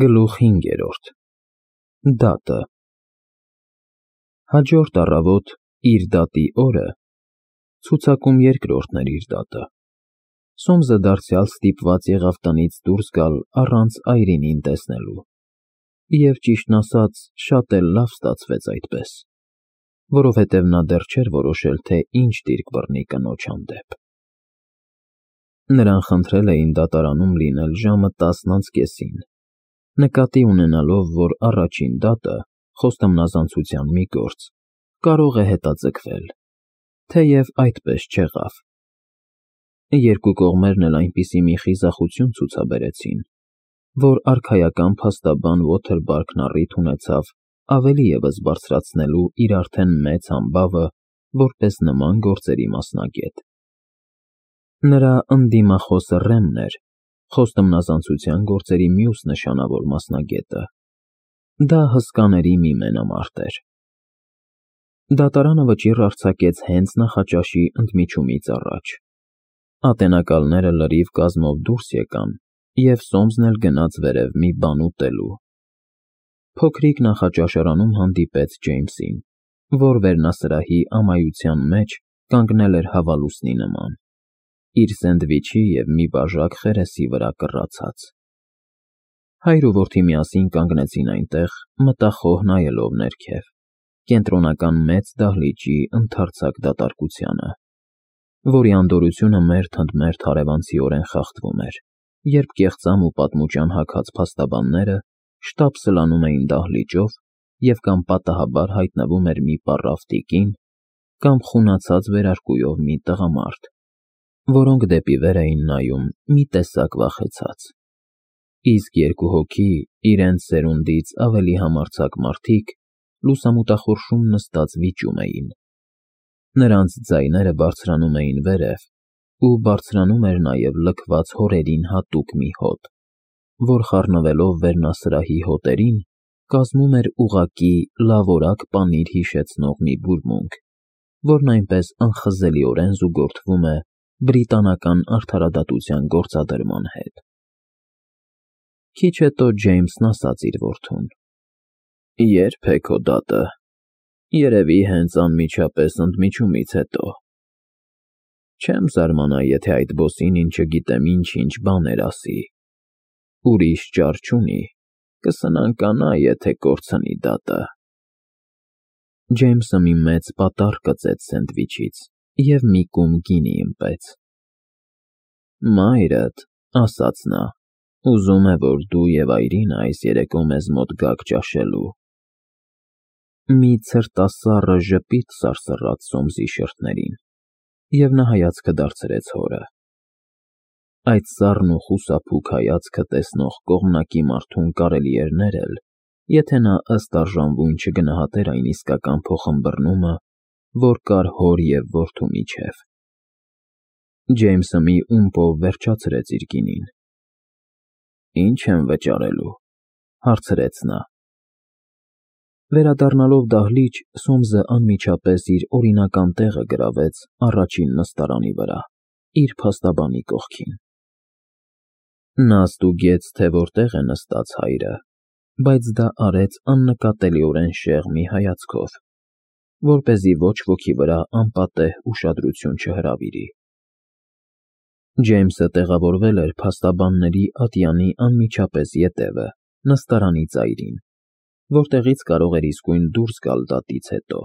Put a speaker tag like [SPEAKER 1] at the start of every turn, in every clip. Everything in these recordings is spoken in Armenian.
[SPEAKER 1] Գլուխ 5. Դատը։ Հաջորդ առավոտ իր դատի օրը ցուցակում երկրորդն էր իր դատը։ Սոմսը դարձյալ ստիպված եղավ տնից դուրս գալ առանց Այրինին տեսնելու։ Եվ ճիշտն ասած, շատ էլ լավ ստացվեց այդպես, որովհետև նա դեռ չէր որոշել, թե ինչ դիրք բռնի կնոջ հանդեպ։ Նրան խնդրել էին դատարանում լինել ժամը 10:30, նկատի ունենալով, որ առաջին դատը, խոստումնազանցության մի գործ, կարող է հետաձգվել, թեև այդպես չեղավ։ Երկու կողմերն էլ այնպիսի մի խիզախություն ցուցաբերեցին, որ արքայական փաստաբան Ոթերբարքն առիթ ունեցավ ավելի ևս բարձրացնելու իր արդեն մեծ համբավը որպես նման գործերի մասնագետ։ Նրա ընդդիմախոսը Ռեմն էր, խոստումնազանցության գործերի մյուս նշանավոր մասնագետը։ Դա հսկաների մի մենամարտ էր։ Դատարանը վճիռ արձակեց հենց նախաճաշի ընդմիջումից առաջ։ Ատենակալները լրիվ կազմով դուրս եկան, և Սոմսն էլ գնաց վերև մի բան ուտելու։ Փոքրիկ նախաճաշարանում հանդիպեց Ջեյմսին, որ վերնասրահի ամայության մեջ կանգնել էր հավալուսնի նման, իր սենդվիչի և մի բաժակ խերեսի վրա կռացած։ Հայր ու որդի միասին կանգնեցին այնտեղ, մտախոհ նայելով ներքև, կենտրոնական մեծ դահլիճի ընդարձակ դատարկությանը, որի անդորրությունը մերթ ընդ մերթ հարևանցիորեն խախտվում էր, երբ կեղծամ ու պատմուճան հագած փաստաբանները շտապ սլանում էին դահլիճով և կամ պատահաբար հայտնվում էր մի պառավ տիկին, կամ խունացած վերարկուով մի տղամարդ, որոնք դեպի վեր էին նայում մի տեսակ վախեցած, իսկ երկու հոգի, իրենց սերունդից ավելի համարձակ մարդիկ, լուսամուտախորշում նստած վիճում էին։ Նրանց ձայները բարձրանում էին վերև, ու բարձրանում էր նաև լքված հորերին հատուկ մի հոտ, որ խառնվելով վերնասրահի հոտերին, կազմում էր ուղղակի լավորակ պանիր հիշեցնող մի բուրմունք, որն այնպես անխզելիորեն զուգորդվում է բրիտանական արդարադատության գործադրման հետ։ Քիչ հետո Ջեյմսն ասաց իր որդուն. «Ե՞րբ է քո դատը։ Երևի հենց անմիջապես ընդմիջումից հետո։ Չեմ զարմանա, եթե այդ բոսին չգիտեմ ինչ բաներ ասի։ Ուրիշ ճար չունի, կսնանկանա, եթե կորցնի դատը»։ Ջեյմսը մի մեծ պատառ կծեց սենդվիչից և մի կում գինի ըմպեց։ «Մայրդ, ֊ ասաց նա, ֊ ուզում է, որ դու և Այրինը այս երեկո մեզ մոտ գաք ճաշելու»։ Մի ցրտասառը ժպիտ սարսռաց Սոմսի շրթներին, և նա հայացքը դարձրեց հորը։ Այդ սառն ու խուսափուկ հայացքը տեսնող կողմնակի մարդուն կարելի էր ներել, եթե նա ըստ արժանվուն չգնահատեր այն իսկական փոխըմբռնումը, որ կար հոր և որդու միջև։ Ջեյմսը մի ումպով վերջացրեց իր գինին։ «Ի՞նչ եմ վճարելու, ֊ հարցրեց նա։ Վերադառնալով դահլիճ, Սոմսը անմիջապես իր օրինական տեղը գրավեց առաջին նստարանի վրա, իր փաստաբանի կողքին։ Նա ստուգեց, թե որտեղ է նստած հայրը, բայց դա արեց աննկատելիորեն շեղ մի հայացքով, որպեսզի ոչ ոքի վրա անպատեհ ուշադրություն չհրավիրի։ Ջեյմսը տեղավորվել էր փաստաբանների ատյանի անմիջապես ետևը, նստարանի ծայրին, որտեղից կարող էր իսկույն դուրս գալ դատից հետո։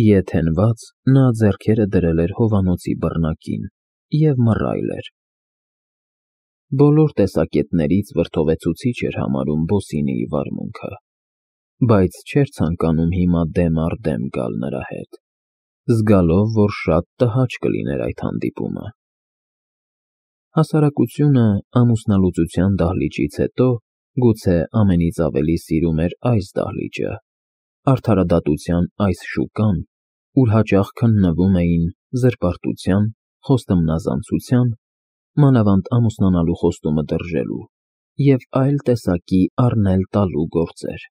[SPEAKER 1] Ետ հենված, նա ձեռքերը դրել էր հովանոցի բռնակին և մռայլ էր։ Բոլոր տեսակետներից վրդովեցուցիչ էր համարում բոսինիի վարմունքը, բայց չէր ցանկանում հիմա դեմ առ դեմ գալ նրա հետ, զգալով, որ շատ տհաճ կլիներ այդ հանդիպումը։ Հասարակությունը ամուսնալուծության դահլիճից հետո գուցե ամենից ավելի սիրում էր այս դահլիճը, արդարադատության այս շուկան, ուր հաճախ քննվում էին զրպարտության, խոստումնազանցության, մանավանդ ամուսնանալու խոստումը դրժելու և այլ տեսակի առնել֊տալու գործեր։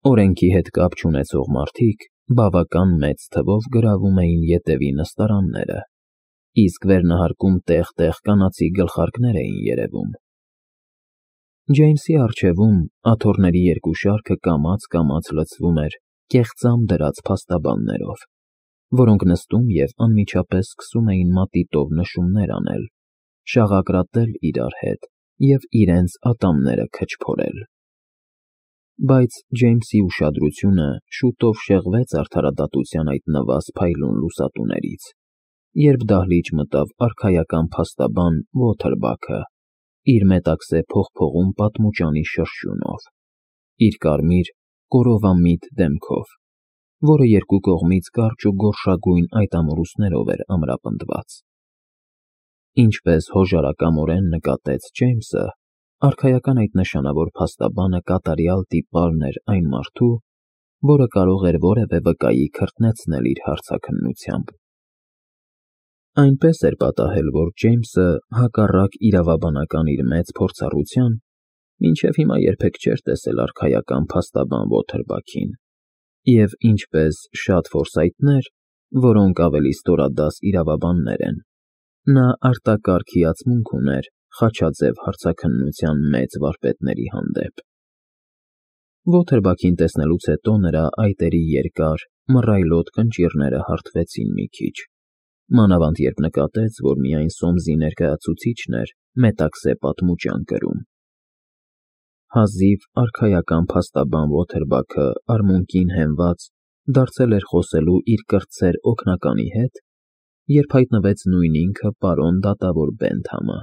[SPEAKER 1] Օրենքի հետ կապ չունեցող մարդիկ բավական մեծ թվով գրավում էին ետևի նստարանները, իսկ վերնահարկում տեղ֊տեղ կանացի գլխարկներ էին երևում։ Ջեյմսի առջևում աթոռների երկու շարքը կամաց լցվում էր կեղծամ դրած փաստաբաններով, որոնք նստում և անմիջապես սկսում էին մատիտով նշումներ անել, շաղակրատել իրար հետ և իրենց ատամները քչփորել։ Բայց Ջեյմսի ուշադրությունը շուտով շեղվեց արդարադատության այդ նվազ փայլուն լուսատուներից, երբ դահլիճ մտավ արքայական փաստաբան Ոթերբաքը իր մետաքսե փողփողուն պատմուճանի շրշյունով, իր կարմիր, կորովամիտ դեմքով, որը երկու կողմից կարճ ու գորշագույն այտամորուսներով էր ամրապնդված։ Ինչպես հոժարակամորեն նկատեց Ջեյմսը, արքայական այդ նշանավոր փաստաբանը կատարյալ տիպարն էր այն մարդու, որը կարող էր որևէ վկայի քրտնեցնել իր հարցաքննությամբ։ Այնպես էր պատահել, որ Ջեյմսը, հակառակ իրավաբանական իր մեծ փորձառության, մինչև հիմա երբեք չէր տեսել արքայական փաստաբան Ոթերբաքին, և ինչպես շատ ֆորսայթներ, որոնք ավելի ստորադաս իրավաբաններ են, նա արտակարգ հիացմունք ուներ խաչաձև հարցաքննության մեծ վարպետների հանդեպ։ Ոթերբաքին տեսնելուց հետո նրա այտերի երկար, մռայլոտ կնճիռները հարթվեցին մի քիչ, մանավանդ երբ նկատեց, որ միայն Սոմսի ներկայացուցիչն էր մետաքսե պատմուճան կրում։ Հազիվ արքայական փաստաբան Ոթերբաքը արմունկին հենված դարձել էր խոսելու իր կրտսեր օգնականի հետ, երբ հայտնվեց նույն ինքը պարոն դատավոր Բենթամը,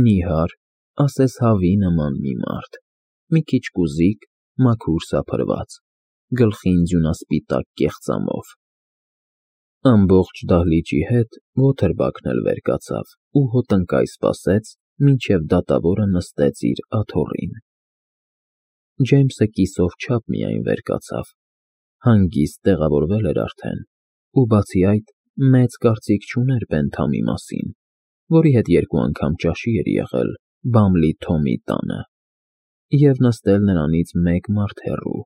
[SPEAKER 1] նիհար, ասես հավի նման մի մարդ, մի քիչ կուզիկ, մաքուր սափրված, գլխին ձյունասպիտակ կեղծամով։ Ամբողջ դահլիճի հետ Ոթերբաքն էլ վեր կացավ ու հոտնկայ սպասեց, մինչև դատավորը նստեց իր աթոռին։ Ջեյմսը կիսով չափ միայն վեր կացավ, հանգիստ տեղավորվել էր արդեն, ու բացի այդ, մեծ կարծիք չուներ Բենթամի մասին, որի հետ երկու անգամ ճաշի էր եղել Բամլի Թոմի տանը, և նստել նրանից մեկ մարդ հեռու։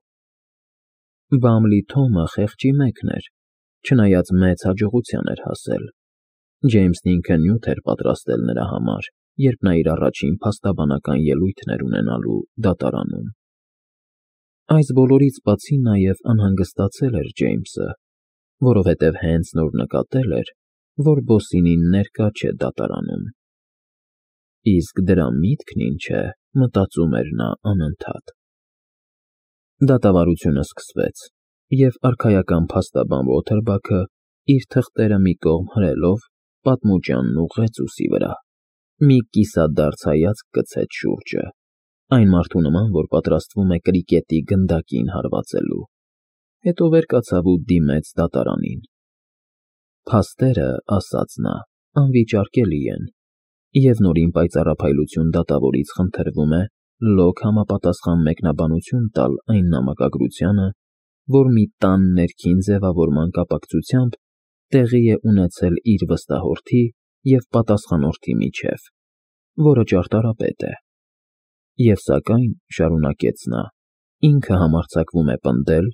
[SPEAKER 1] Բամլի Թոմը խեղճի մեկն էր, չնայած մեծ հաջողության էր հասել։ Ջեյմսն ինքը նյութ էր պատրաստել նրա համար, երբ նա իր առաջին փաստաբանական ելույթն էր ունենալու դատարանում։ Այս բոլորից բացի նաև անհանգստացել էր Ջեյմսը, որովհետև հենց նոր նկատել էր, որ Բոսինին ներկա չէ դատարանում։ Իսկ դրա միտքն ինչ է, մտածում էր նա անընդհատ։ Դատավարությունը սկսվեց, և արքայական փաստաբան Ոթերբաքը, իր թղթերը մի կողմ հրելով, պատմուճանն ուղղեց ուսի վրա, մի կիսադարձ հայացք գցեց շուրջը, այն մարդու նման, որ պատրաստվում է կրիկետի գնդակին հարվածելու, հետո վեր կացավ ու դիմեց դատարանին։ Փաստերը, ասաց նա, անվիճարկելի են, և նորին պայծառափայլություն դատավորից խնդրվում է լոկ համապատասխան մեկնաբանություն տալ այն նամակագրությանը, որ մի տան ներքին ձևավորման կապակցությամբ տեղի է ունեցել իր վստահորդի և պատասխանորդի միջև, որը ճարտարապետ է։ Եվ սակայն, շարունակեց նա, ինքը համարձակվում է պնդել,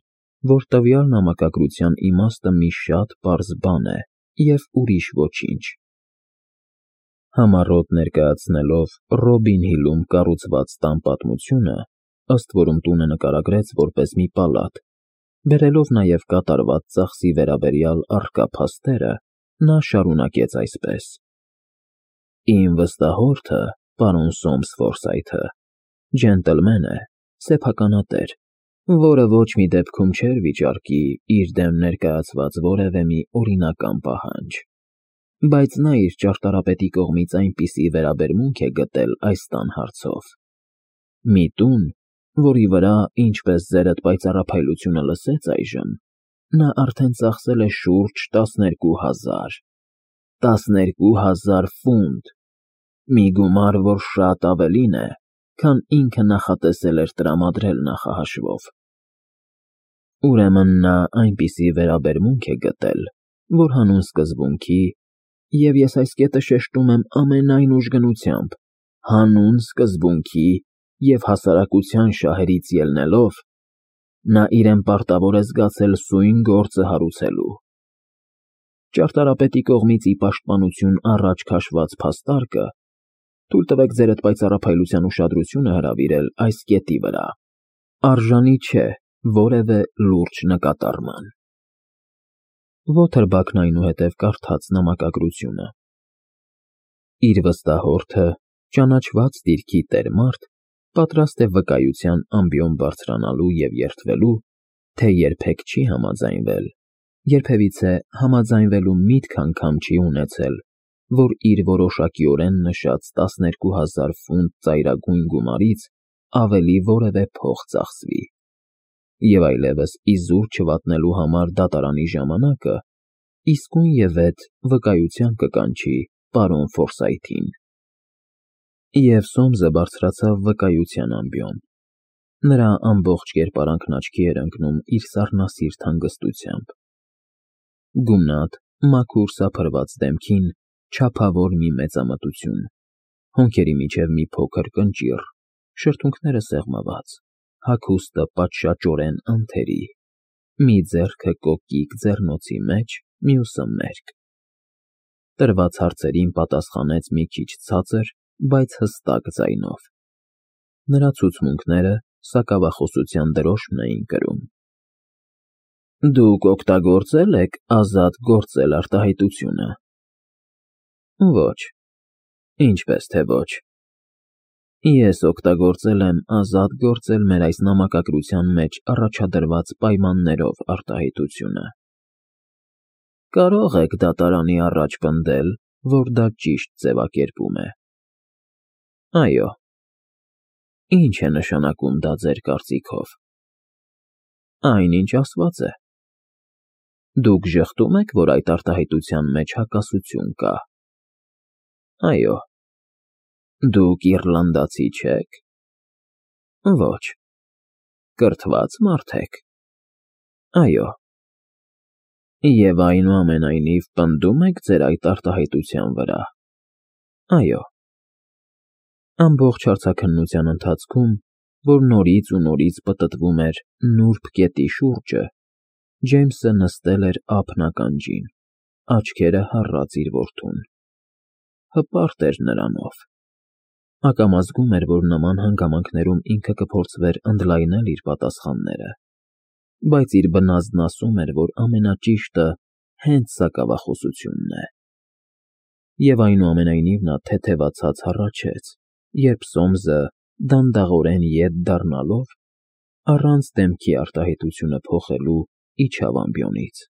[SPEAKER 1] որ տվյալ նամակագրության իմաստը մի շատ պարզ բան է և ուրիշ ոչինչ։ Համառոտ ներկայացնելով Ռոբին Հիլում կառուցված տան պատմությունը, ըստ որում տունը նկարագրեց որպես մի պալատ, բերելով նաև կատարված ծախսի վերաբերյալ առկա փաստերը, նա շարունակեց այսպես. Իմ վստահորդը, պարոն Սոմս Ֆորսայթը, ջենտլմեն է, սեփականատեր, որը ոչ մի դեպքում չէր վիճարկի իր դեմ ներկայացված որևէ մի օրինական պահանջ, բայց նա իր ճարտարապետի կողմից այնպիսի վերաբերմունք է գտել այս տան հարցով։ Մի տուն, որի վրա, ինչպես ձերդ պայծառափայլությունը լսեց այժմ, նա արդեն ծախսել է շուրջ 12,000 ֆունտ, մի գումար, որ շատ ավելին է, քան ինքը նախատեսել էր տրամադրել նախահաշվով։ Ուրեմն նա այնպիսի վերաբերմունք է գտել, որ հանուն սկզբունքի, և ես այս կետը շեշտում եմ ամենայն ուժգնությամբ, հանուն սկզբունքի և հասարակության շահերից ելնելով, նա իրեն պարտավոր է զգացել սույն գործը հարուցելու։ Ճարտարապետի կողմից ի պաշտպանություն առաջ քաշված փաստարկը Թույլ տվեք ձերդ պայծառափայլության ուշադրությունը հրավիրել այս կետի վրա. արժանի չէ որևէ լուրջ նկատառման։ Ոթերբաքն այնուհետև կարդաց նամակագրությունը։ Իր վստահորդը, ճանաչված դիրքի տեր մարդ, պատրաստ է վկայության ամբիոն բարձրանալու և երդվելու, թե երբեք չի համաձայնվել, երբևիցե համաձայնվելու միտք անգամ չի ունեցել, որ իր որոշակիորեն նշած 12,000 ֆունտ ծայրագույն գումարից ավելի որևէ փող ծախսվի, և այլևս իզուր չվատնելու համար դատարանի ժամանակը իսկույնևեթ վկայության կկանչի պարոն Ֆորսայթին։ Եվ Սոմսը բարձրացավ վկայության ամբիոն։ Նրա ամբողջ կերպարանքն աչքի էր ընկնում իր սառնասիրտ հանգստությամբ։ Գունատ, մաքուր սափրված դեմքին չափավոր մի մեծամտություն, հոնքերի միջև մի փոքր կնճիռ, շրթունքները սեղմված, հագուստը պատշաճորեն անթերի, մի ձեռքը կոկիկ ձեռնոցի մեջ, մյուսը մերկ։ Տրված հարցերին պատասխանեց մի քիչ ցածր, բայց հստակ ձայնով։ Նրա ցուցմունքները սակավախոսության դրոշմն էին կրում։ Դուք օգտագործե՞լ եք ազատ գործել արտահայտությունը։ Ոչ։ Ինչպես թե ոչ։ Ես օգտագործել եմ ազատ գործել մեր այս նամակագրության մեջ առաջադրված պայմաններով արտահայտությունը։ Կարող եք դատարանի առաջ պնդել, որ դա ճիշտ ձևակերպում է։ Այո։ Ինչ է նշանակում դա ձեր կարծիքով։ Այն, ինչ ասված է։ Դուք ժխտում եք, որ այդ արտահայտության մեջ հակասություն կա։ Այո։ Դուք իռլանդացի չե՞ք։ Ոչ։ Կրթված մարդ եք։ Այո։ Եվ այնուամենայնիվ պնդում եք ձեր այդ արտահայտության վրա։ Այո։ Ամբողջ հարցաքննության ընթացքում, որ նորից ու նորից պտտվում էր նուրբ կետի շուրջը, Ջեյմսը նստել էր ափն ականջին, աչքերը հառած իր որդուն։ Հպարտ էր նրանով։ Ակամա զգում էր, որ նման հանգամանքներում ինքը կփորձվեր ընդլայնել իր պատասխանները, բայց իր բնազդն ասում էր, որ ամենաճիշտը հենց սակավախոսությունն է։ Եվ այնուամենայնիվ նա թեթևացած հառաչեց, երբ Սոմսը, դանդաղորեն ետ դառնալով, առանց դեմքի արտահայտությունը փոխելու իջավ ամբիոնից։